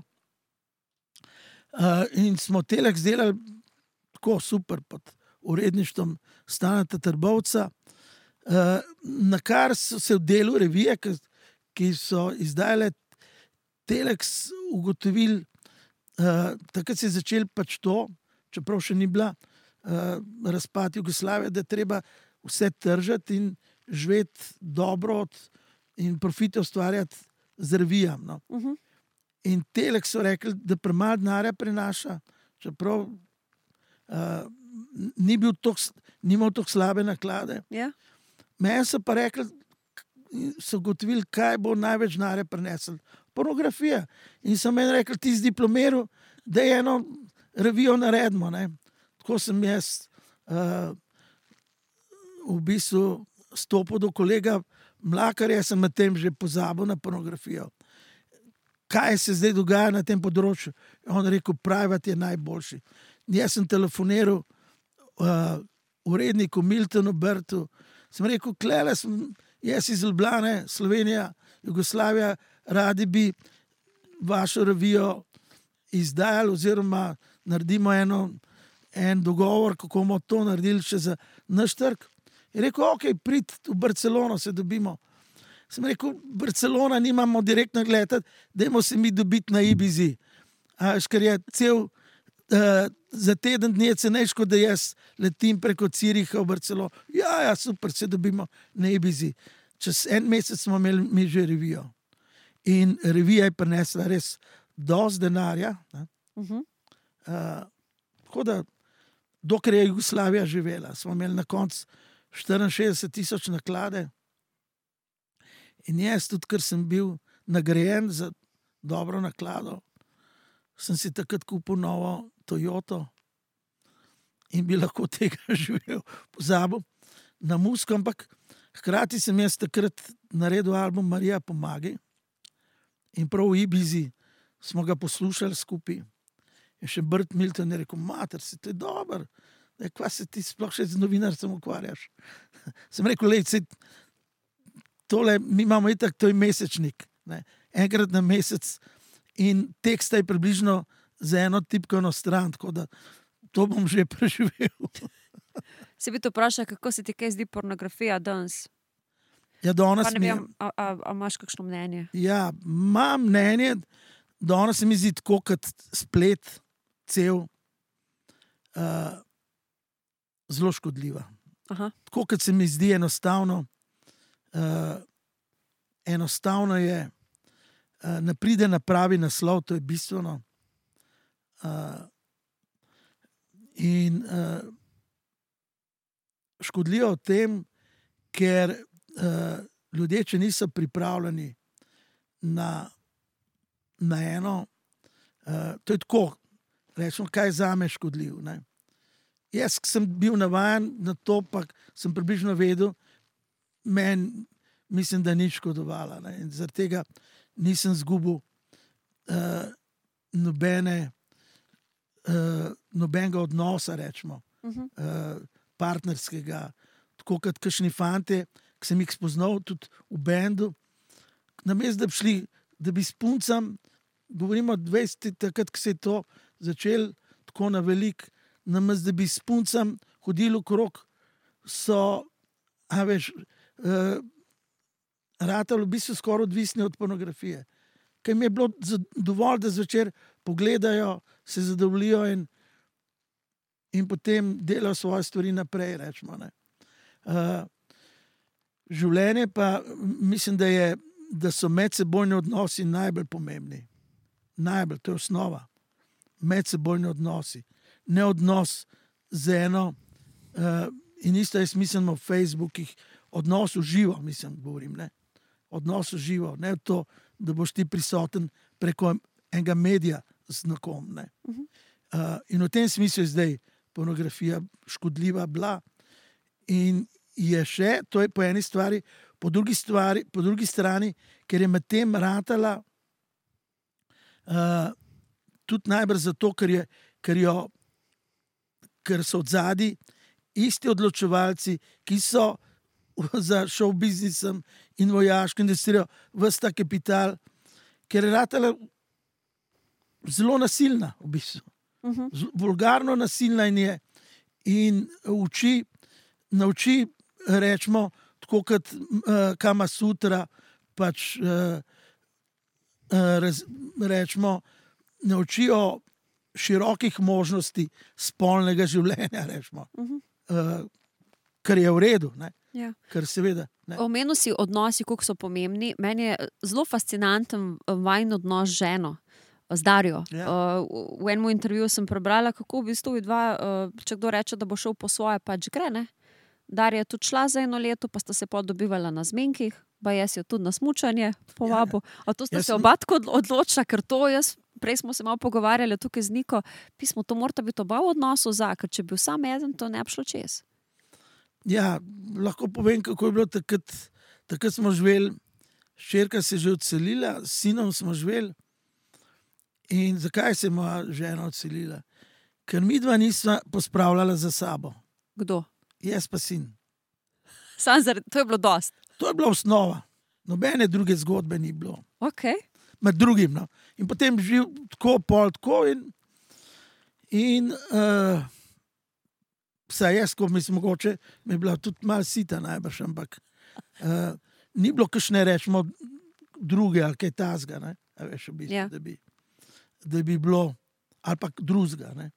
In smo Telex delali tako super pod uredništvom Staneta Trbovca, na kar so se v delu revije, ki so izdajale Telex, ugotovili, takrat se je začel pač to, čeprav še ni bila razpad Jugoslavije, da je treba vse tržati in živeti dobro in profite ustvarjati z revijam. No. In Telex so rekli, da premalo denarja prinaša, čeprav ni imel tako slabe naklade. Ja? Meni so pa rekli, so ugotovili, kaj bo največ denarja prinesel. Pornografija. In so meni rekli, ti si diplomiral, da je eno revijo naredimo. Ne. Tako sem jaz v bistvu stopil do kolega Mlakarja, sem na tem že pozabil na pornografijo. Kaj se zdaj dogaja na tem področju? On rekel, private je najboljši. Jaz sem telefoniral uredniku Miltonu Brtu, sem rekel, klele sem, jaz iz Ljubljane, Slovenija, Jugoslavija, radi bi vašo revijo izdajali oziroma naredimo en dogovor, kako bomo to naredili še za naš trg. Je rekel, ok, prid v Barcelono, se dobimo. Sem rekel, Barcelona nimamo direktno gledati, dajmo se mi dobiti na Ibizi. Ker je za teden dni cenejš, kot da jaz letim preko Ciriha v Barcelono. Ja, super, se dobimo na Ibizi. Čez 1 mesec smo imeli mi že revijo. In revija je prinesla res dosti denarja. Tako da, dokler je Jugoslavija živela, smo imeli na koncu 64,000 naklade. In jaz tudi, ker sem bil nagrajen za dobro naklado, sem si takrat kupil novo Toyoto in bi lahko tega živel, pozabil na muziko, ampak hkrati sem jaz takrat naredil album Marija pomagaj in prav v Ibizi smo ga poslušali skupaj. In še Brt Milton je rekel, mater, si to je dober, kva se ti sploh še z novinarstvom ukvarjaš. Sem rekel, lej, tole, mi imamo itak, to je mesečnik, ne? Enkrat na mesec in teksta je približno za eno tipkovno stran, tako da to bom že preživel. Se bi to vprašal, kako se ti kaj zdi pornografija danes? Ja, danes Pa ne vem, a imaš kakšno mnenje? Ja, imam mnenje, danes se mi zdi tako kot splet cel zelo škodljiva. Aha. Tako kot se mi zdi enostavno, enostavno je, ne pride na pravi naslov, to je bistveno. In škodljivo v tem, ker ljudje, če niso pripravljeni na eno, to je tako, rečemo, kaj je zame škodljiv. Ne? Jaz sem bil navajen na to, pa sem približno vedel, mislim, da ni škodovala. Ne? In zaradi tega nisem zgubil nobenega odnosa, rečemo, partnerskega, tako kot kakšni fante, ki sem jih spoznal tudi v bendu, namesto da bi šli, da bi s puncem, govorimo 20, takrat, ko se je to začel tako na velik, namesto da bi s puncem hodili okrog, so, ratali v bistvu skoraj odvisni od pornografije. Ker mi je bilo dovolj, da zvečer pogledajo, se zadovoljijo in potem delajo svoje stvari naprej, rečemo. Ne. življenje pa mislim, da so medsebojni odnosi najbolj pomembni. Najbolj, to je osnova. Medsebojni odnosi. Ne odnos z eno. In isto jaz mislim o Facebookih. Odnos v živo, govorim. Ne? Odnos v živo. Ne to, da boš ti prisoten preko enega medija z nekom. Ne? In v tem smislu je zdaj pornografija škodljiva bila. In je še, to je po eni stvari, po drugi strani, ker je med tem ratala tudi najbrž zato, ker so odzadi isti odločevalci, ki so za show biznisom in vojaško industrijo ves ta kapital, ker je ratala zelo nasilna v bistvu. Vulgarno nasilna in nauči, rečemo, tako kot Kama Sutra, pač rečemo, naučijo širokih možnosti spolnega življenja, rečemo. Kar je v redu, ne? Ja. Kar seveda. Omenil si odnosi, koliko so pomembni. Meni je zelo fascinanten vajin odnos z ženo, z Darjo. Ja. V enem intervjuju sem prebrala, kako v bistvu dva, če kdo reče, da bo šel po svoje, pač gre, ne? Darja je tudi šla za 1 leto, pa sta se dobivala na zmenkih, pa jaz jo tudi na smučanje povabil. A to sta se oba tako odločila, ker to prej smo se malo pogovarjali tukaj z Niko, pismo, to morata biti oba v odnosu ker če bi bil sam eden, to ne bi šlo čez. Ja, lahko povem, kako je bilo takrat. Takrat smo živeli, hčerka se je že odselila, s sinom smo živeli. In zakaj se je moja žena odselila? Ker midva nisva pospravljala za sabo. Kdo? Jaz pa sin. To je bilo dost. To je bila osnova. Nobene druge zgodbe ni bilo. Okay. Med drugim. No. In potem živ tako, pol tako in vsaj jaz, ko mislim, mogoče mi je bila tudi malo sita najbrž, ampak ni bilo kakšne, rečemo, druge ali kaj tazga, ne? A veš, v bistvu, Ja. da bi bilo ali pa drugega. Ne?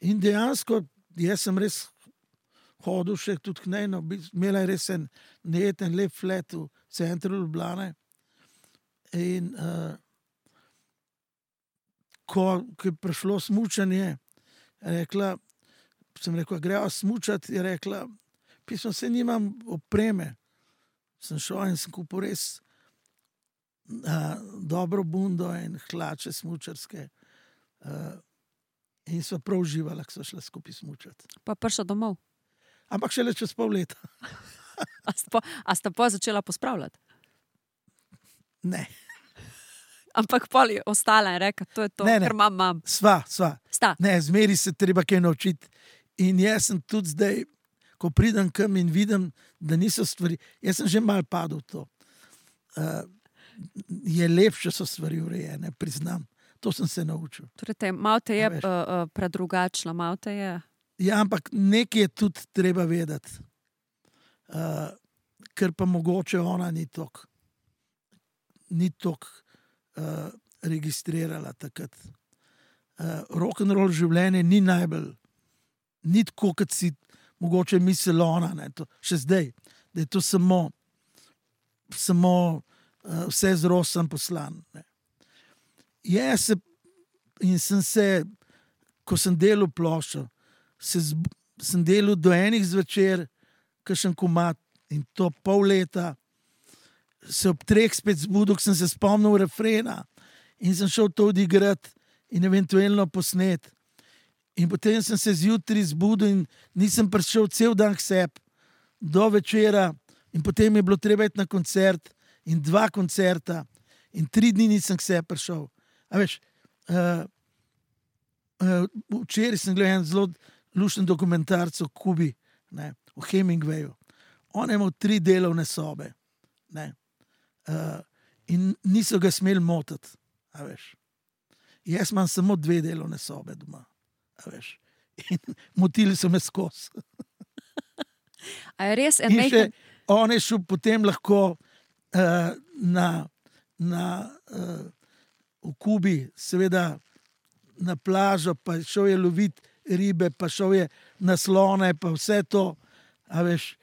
In dejansko jaz sem res hodil še tudi k njej, imela je res en nejeten lep flat v centru Ljubljane. In ko je prišlo smučanje, sem rekel, greva smučati, je rekla, pismo, se nimam opreme. Sem šel in sem kupil res dobro bundo in hlače smučarske. In sva prav uživala, ko sva šla skupaj smučati. Pa prišla domov. Ampak šele čez pol leta. A sta pa začela pospravljati? Ne. Ampak pol je ostala in reka, to je to, Ne. ker imam. Sva. Sta. Ne, zmeri se treba kaj naučiti. In jaz sem tudi zdaj, ko pridem kam in vidim, da niso stvari, jaz sem že malo padel v to. Je lepše, so stvari urejene, priznam. To sem se naučil. Torej, malo te je predrugačila, malo te je. Ja, ampak nekaj je tudi treba vedeti. Ker pa mogoče ona ni toliko registrirala takrat. Rock'n'roll življenje ni najbolj, ni tako, kot si mogoče misli ona, ne, to, še zdaj, da je to samo vse z rosom poslan. Ne. Ko sem delal ploščo, sem delal do 1 zvečer, kakšen komad, in to pol leta, se ob 3 spet zbudil, sem se spomnil refrena in sem šel to odigrati in eventualno posnet. In potem sem se zjutraj zbudil in nisem prišel cel dan k sebi do večera in potem je bilo treba iti na koncert in 2 koncerta in 3 dni nisem k sebi prišel. A veš, včeraj sem gledal en zelo lušten dokumentarc o Kubi, ne, o Hemingwayu. On je imel 3 delovne sobe, ne, in niso ga smeli motiti, a veš. Jaz imam samo 2 delovne sobe doma, a veš. In motili so me skozi. A je res In še on je šel potem lahko v Kubi, seveda na plažo, pa šel je loviti ribe, pa šel je na slone, pa vse to, a veš,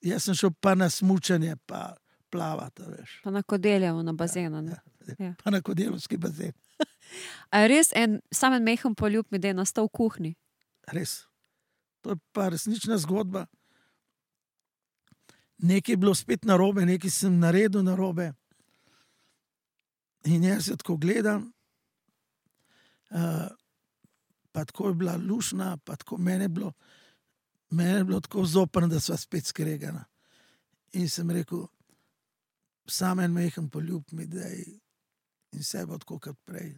Jaz sem šel pa na smučanje, pa plavati, veš. Pa na Kodeljevo, na bazenu. Ne? Ja. Pa na Kodeljevski bazen. A je res samo en mehen poljub mi, da je nastal v kuhinji? Res. To je pa resnična zgodba. Nekaj je bilo spet narobe, nekaj sem naredil narobe. In jaz se tako gledam, pa tako je bila lušna, pa tako mene je bilo tako zoprno, da sva spet skregana. In sem rekel, samo en mehen poljub mi daj in vse bo tako kot prej.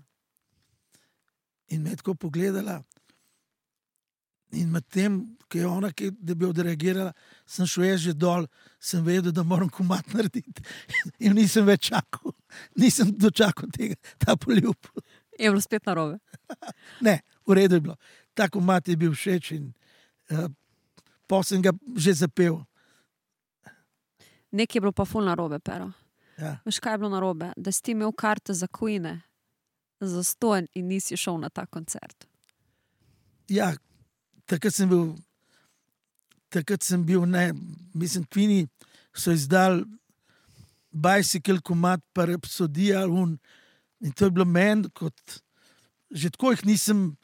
In me je tako pogledala in med tem, ki je ona, da bi odreagirala, sem šel jaz že dol, sem vedel, da moram komad narediti. In nisem več čakal, nisem dočakal ta poljub. Je bilo spet narobe? Ne, v redu je bilo. Ta komad je bil všeč in pol sem ga že zapel. Nekaj je bilo pa ful narobe, Pero. Ja. Veš, kaj je bilo narobe? Da si ti imel karte za Queene, za stonj in nisi šel na ta koncert. Ja, takrat sem bil, ne, mislim, Queeni so izdali Bicycle komad pa Rhapsodija in to je bilo meni, kot že tako jih nisem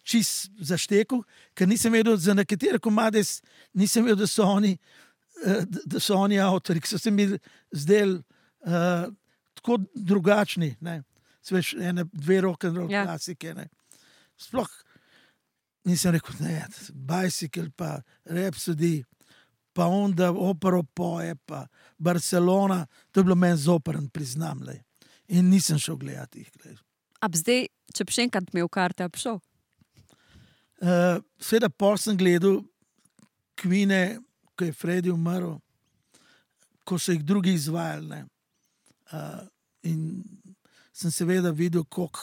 čist zaštekal, ker nisem vedel, za nekatere komade nisem vedel, da so oni avtori, ki so se mi zdeli tako drugačni, ne. Sveš, dve rock'n'roll klasike, ne. Sploh nisem rekel, ne, Bicycle pa Rhapsody, pa onda opero poje, pa Barcelona, to je bilo meni zoprn, priznam, le. In nisem šel gledati jih. Ab zdaj, če bi še enkrat imel karte, ab šel? Seveda pol sem gledal Queene, ko je Freddy umrl, ko so jih drugi izvajali, ne. In sem seveda videl, koliko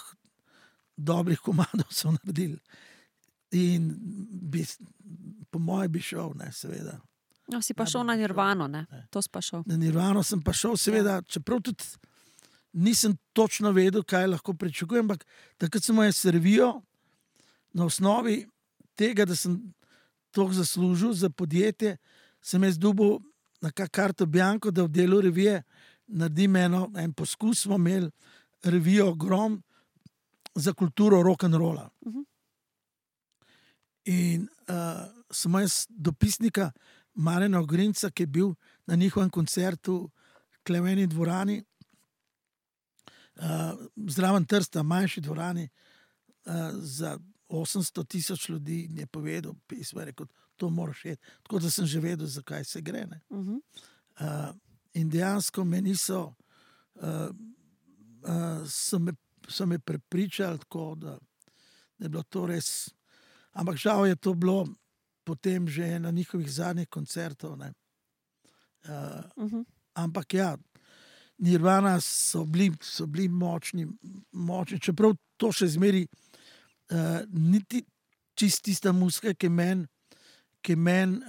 dobrih komadov so naredili. In po moje bi šel, ne, seveda. No, si pa šel na Nirvano, ne? To si pa šel. Na Nirvano sem pa šel, seveda, čeprav tudi nisem točno vedel, kaj lahko pričakujem, ampak takrat sem moje servijo na osnovi tega, da sem toliko zaslužil za podjetje, sem jaz dobil na karto bianco, da v delu revije naredim en poskus, smo imeli revijo Grom za kulturo rock'n'rolla. In sem jaz dopisnika Marjana Ogrinca, ki je bil na njihovem koncertu v Kleveni dvorani, zraven Trsta, manjši dvorani, za 800,000 ljudi in je povedal pismo, je rekel, to moraš iti. Tako da sem že vedel, zakaj se gre. Ne. In dejansko me niso, so me prepričali tako, da je bilo to res, ampak žal je to bilo potem že na njihovih zadnjih koncertov. Ne. Ampak ja, Nirvana so bili močni, čeprav to še zmeri niti čist tista muzika, ki je meni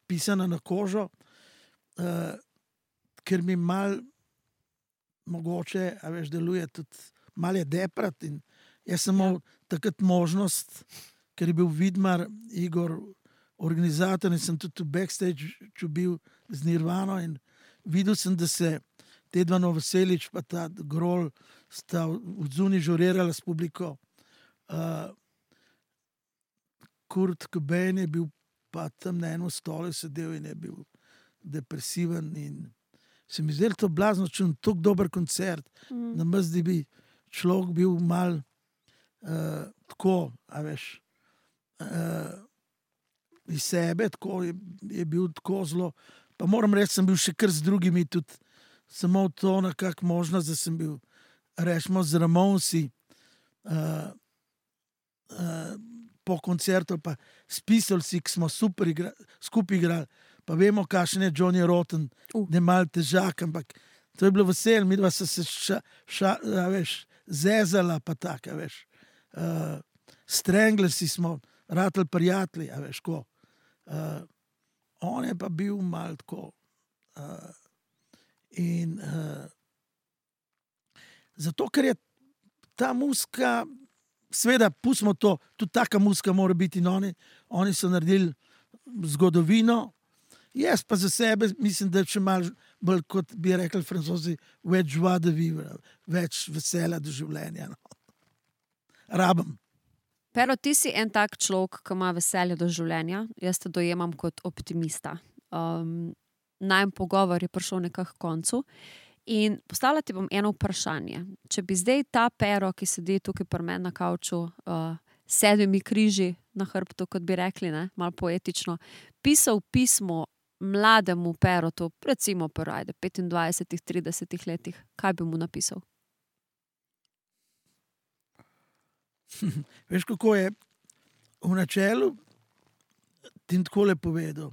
pisana na kožo, ker mi mal mogoče, a veš, deluje tudi, mal je deprat in jaz sem imel takrat možnost, ker je bil Vidmar, Igor, organizator in sem tudi v backstage bil z Nirvano in videl sem, da se te dva Novoselič pa ta Grol sta odzuni žurirala s publiko. Kurt Cobain je bil pa tam na enem stolu sedel in je bil depresiven in se mi zdelo to blazno čudno, tako dober koncert, na mezdi bi človek bil mal tako, a veš, iz sebe, tako je bil tako zelo, pa moram reči, sem bil še kar z drugimi tudi, samo to nekako možnost, da sem bil, rečemo, z Ramonsi po koncertu, pa s Pistolsi, ki smo super skupaj igrali, pa vemo, kakšen je Johnny Rotten, da je malo težak, ampak to je bilo vesel, mi dva so se zezala, pa tako, veš. Stranglersi smo ratali prijatelji, a veš, ko. On je pa bil malo tako. In zato, ker je ta muzika, seveda, pustimo to, tudi taka muzika mora biti in oni so naredili zgodovino. Jaz pa za sebe mislim, da če malo bolj, kot bi rekli Francozi, več joie de vivre, več vesela do življenja. No. Rabim. Pero, ti si en tak človek, ki ima veselje do življenja. Jaz te dojemam kot optimista. Najin pogovor je prišel nekako k koncu. In postavljati bom eno vprašanje. Če bi zdaj ta Pero, ki sedi tukaj pri meni na kavču, 7 križi na hrbtu, kot bi rekli, ne, malo poetično, pisal pismo mlademu Perotu, recimo pri 25-30 letih, kaj bi mu napisal? Veš, kako je v načelu ti takole povedal.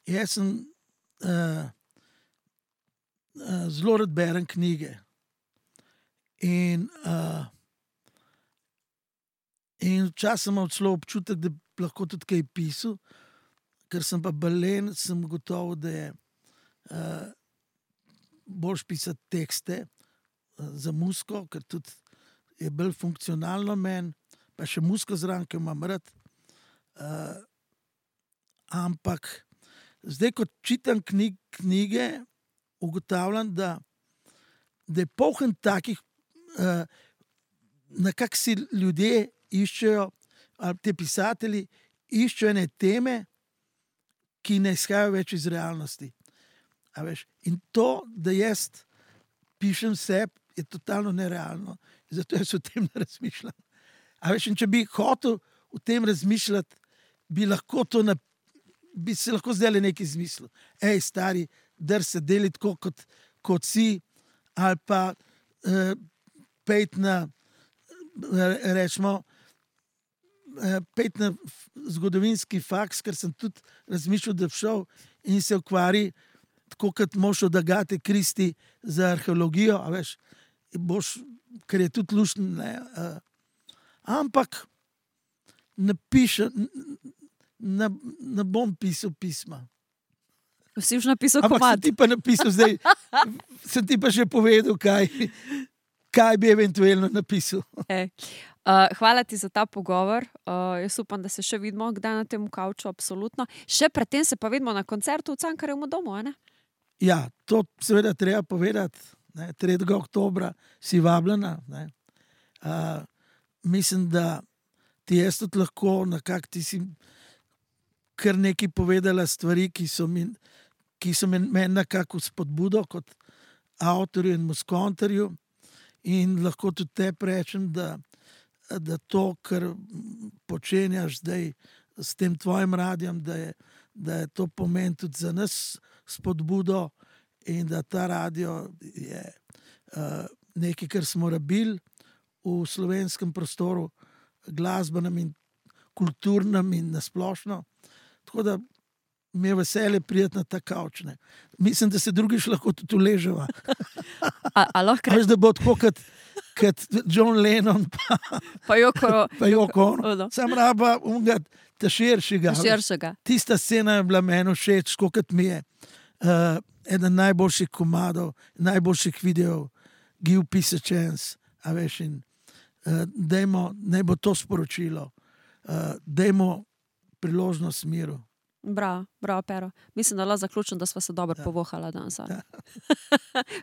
Jaz sem zelo rad berem knjige in včasih imam celo občutek, da lahko tudi kaj pisal, ker sem pa balen, sem gotovo, da je boljš pisati tekste za muziko, ker tudi je bolj funkcionalno meni, pa še muziko zraven, ki jo imam rad. Ampak zdaj, ko čitam knjige, ugotavljam, da je poln takih, nekako si ljudje iščejo, ali te pisatelji iščejo ene teme, ki ne izhajajo več iz realnosti. A veš? In to, da jaz pišem sebi, je totalno nerealno. Zato jaz o tem ne razmišljam. A veš, in če bi hotel o tem razmišljati, bi se lahko zdaj nekaj izmislil. Ej, stari, drž se deli tako, kot si, ali pa pejt na, rečemo, pejt na zgodovinski faks, ker sem tudi razmišljal, da bi šel in se ukvari, tako kot moš od Agate Kristi za arheologijo, a veš, ker je tudi luštno, ampak ne bom pisal pisma. Si už napisal komad. Ampak sem ti pa napisal zdaj, sem ti pa že povedal, kaj bi eventualno napisal. Hvala ti za ta pogovor. Jaz upam, da se še vidimo kdaj na tem kavču, absolutno. Še predtem se pa vidimo na koncertu v Cankarjevem domu, ne? Ja, to seveda treba povedati. 3. oktobra si vabljena. Mislim, da ti jaz tudi lahko, nekako ti si kar nekaj povedala stvari, ki so meni nekako spodbudo kot avtorju in muskontarju, in lahko tudi te rečem, da to, kar počenjaš zdaj s tem tvojim radijem, da je to pomen tudi za nas spodbudo in da ta radio je nekaj, kar smo rabili v slovenskem prostoru, glasbenem in kulturnem in nasplošno. Tako da mi je veselje priti na ta kavč. Mislim, da se drugič lahko tudi uleževa. Veš, da bo tako kot John Lennon pa Yoko Ono. Sam raba unga ta širšega. Tista scena je bila meni všeč, kot mi je eden najboljših komadov, najboljših videov, Give Peace a Chance, a veš, in naj bo to sporočilo, dajmo priložnost miru. Bravo, Pero. Mislim, da lahko zaključim, da sva se dobro povohala danes.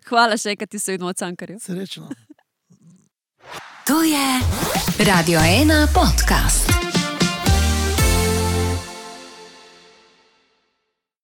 Hvala še, kad ti se vidimo v Cankarju. Srečno. To je Radio 1 podcast.